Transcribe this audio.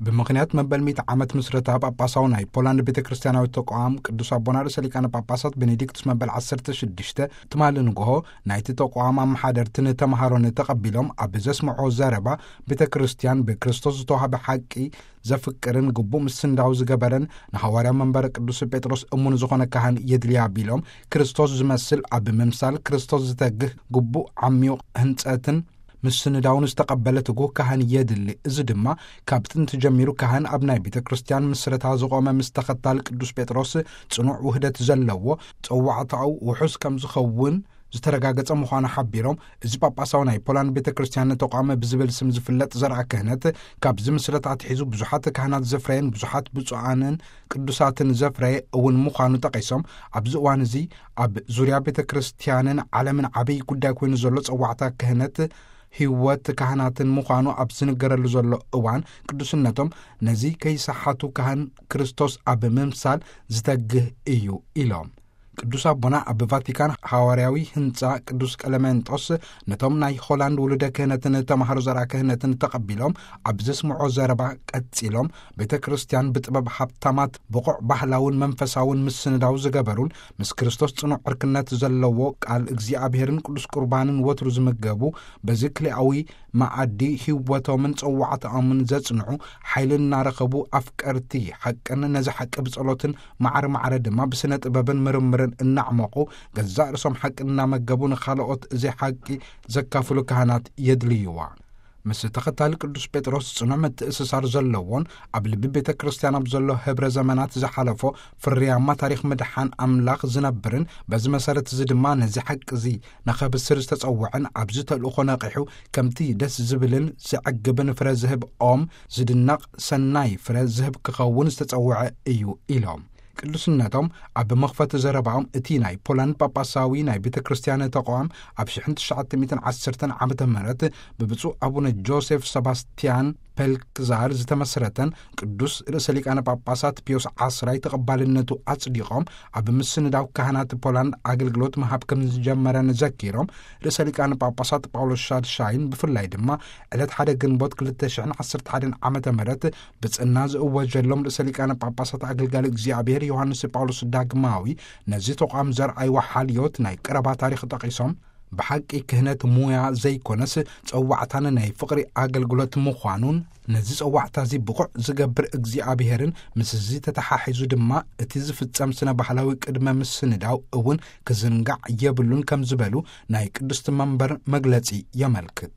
ብምኽንያት መበል ሚእቲ ዓመት ምስረታ ጳጳሳዊ ናይ ፖላንድ ቤተ ክርስቲያናዊ ተቋም፣ ቅዱስ ኣቦና ርእሰ ሊቃነ ጳጳሳት ቤኔዲክቱስ መበል ዓሰርተ ሽዱሽተ ትማሊ ንግሆ ናይቲ ተቋም ኣመሓደርትን ተምሃሮን ተቐቢሎም ኣብ ዘስምዖ ዘረባ፣ ቤተ ክርስቲያን ብክርስቶስ ዝተዋህበ ሓቂ ዘፍቅርን ግቡእ ምስንዳው ዝገበረን ንሃዋርያዊ መንበረ ቅዱስ ጴጥሮስ እሙን ዝኾነ ካህን የድልያ ቢሎም፣ ክርስቶስ ዝመስል ኣብ ምምሳል ክርስቶስ ዝተግህ ግቡእ ዓሚዩቕ ህንጸትን ምስንዳውን ዝተቐበለ ትጉህ ካህን የድሊ። እዚ ድማ ካብ ጥንቲ ጀሚሩ ካህን ኣብ ናይ ቤተ ክርስቲያን ምስረታ ዝቖመ ምስ ተኸታል ቅዱስ ጴጥሮስ ጽኑዕ ውህደት ዘለዎ ጸዋዕታኡ ውሑስ ከም ዝኸውን ዝተረጋገጸ ምዃኑ ሓቢሮም፣ እዚ ጳጳሳዊ ናይ ፖላንድ ቤተ ክርስቲያን ተቋም ብዝብል ስም ዝፍለጥ ዘርኣ ክህነት ካብዚ ምስረታ ኣትሒዙ ብዙሓት ካህናት ዘፍረየን ብዙሓት ብፁዓንን ቅዱሳትን ዘፍረየ እውን ምዃኑ ጠቒሶም፣ ኣብዚ እዋን እዚ ኣብ ዙርያ ቤተ ክርስቲያንን ዓለምን ዓብይ ጉዳይ ኮይኑ ዘሎ ጸዋዕታ ክህነት ህይወት ካህናትን ምዃኑ ኣብ ዝንገረሉ ዘሎ እዋን፣ ቅዱስነቶም ነዚ ከይሰሓቱ ካህን ክርስቶስ ኣብ ምምሳል ዝተግህ እዩ ኢሎም። ቅዱስ ኣቦና ኣብ ቫቲካን ሃዋርያዊ ህንጻ ቅዱስ ቀለሜንጦስ ነቶም ናይ ሆላንድ ውሉደ ክህነትን ተማሃሮ ዘርኣ ክህነትን ተቐቢሎም ኣብ ዘስምዖ ዘረባ ቀጺሎም፣ ቤተ ክርስቲያን ብጥበብ ሃብታማት ብቑዕ ባህላውን መንፈሳውን ምስንዳው ዝገበሩን ምስ ክርስቶስ ጽኑዕ ዕርክነት ዘለዎ ቃል እግዚኣብሔርን ቅዱስ ቁርባንን ወትሩ ዝምገቡ፣ በዚ ክልኣዊ መኣዲ ህይወቶምን ጸዋዕታኦምን ዘጽንዑ፣ ሓይሊ እናረኸቡ ኣፍቀርቲ ሓቅን ነዚ ሓቂ ብጸሎትን ማዕረ ማዕረ ድማ ብስነ ጥበብን ምርምርን እናዕመቑ፣ ገዛእ ርእሶም ሓቂ እናመገቡ ንኻልኦት እዚ ሓቂ ዘካፍሉ ካህናት የድልይዋ። ምስ ተኸታሊ ቅዱስ ጴጥሮስ ጽኑዕ ምትእስሳር ዘለዎን ኣብ ልቢ ቤተ ክርስቲያን ኣብ ዘሎ ህብረ ዘመናት ዝሓለፎ ፍርያማ ታሪኽ ምድሓን ኣምላኽ ዝነብርን፣ በዚ መሰረት እዚ ድማ ነዚ ሓቂ እዚ ንኸብስር ዝተጸውዐን ኣብዚ ተልእኾ ነቒሑ ከምቲ ደስ ዝብልን ዘዕግብን ፍረ ዝህብ ኦም ዝድነቕ ሰናይ ፍረ ዝህብ ክኸውን ዝተጸውዐ እዩ ኢሎም። ቅዱስነቶም ኣብ መኽፈቲ ዘረባኦም እቲ ናይ ፖላንድ ጳጳሳዊ ናይ ቤተ ክርስቲያን ተቋም ኣብ ሽሕን ትሽዓተ ሚእትን ዓሰርተን ዓመተ ምህረት ብብፁዕ ኣቡነ ጆሴፍ ሰባስቲያን ፔልክዛር ዝተመስረተን ቅዱስ ርእሰ ሊቃነ ጳጳሳት ፒዮስ ዓስራይ ተቐባልነቱ ኣጽዲቖም ኣብ ምስንዳው ካህናት ፖላንድ ኣገልግሎት ምሃብ ከም ዝጀመረን ዘኪሮም፣ ርእሰ ሊቃነ ጳጳሳት ጳውሎስ ሻድሻይን ብፍላይ ድማ ዕለት ሓደ ግንቦት ክልተ ሽሕን ዓሰርተ ሓደን ዓመተ ምህረት ብጽና ዝእወጀሎም ርእሰ ሊቃነ ጳጳሳት ኣገልጋሊ እግዚኣብሔር ዮሃንስ ጳውሎስ ዳግማዊ ነዚ ተቋም ዘርኣይዎ ሓልዮት ናይ ቀረባ ታሪኽ ጠቒሶም፣ ብሓቂ ክህነት ሙያ ዘይኮነስ ጸዋዕታን ናይ ፍቕሪ ኣገልግሎት ምዃኑን፣ ነዚ ጸዋዕታ እዚ ብቑዕ ዝገብር እግዚኣብሔርን ምስዚ ተተሓሒዙ ድማ እቲ ዝፍጸም ስነ ባህላዊ ቅድመ ምስንዳው እውን ክዝንጋዕ የብሉን ከም ዝበሉ ናይ ቅድስቲ መንበር መግለጺ የመልክት።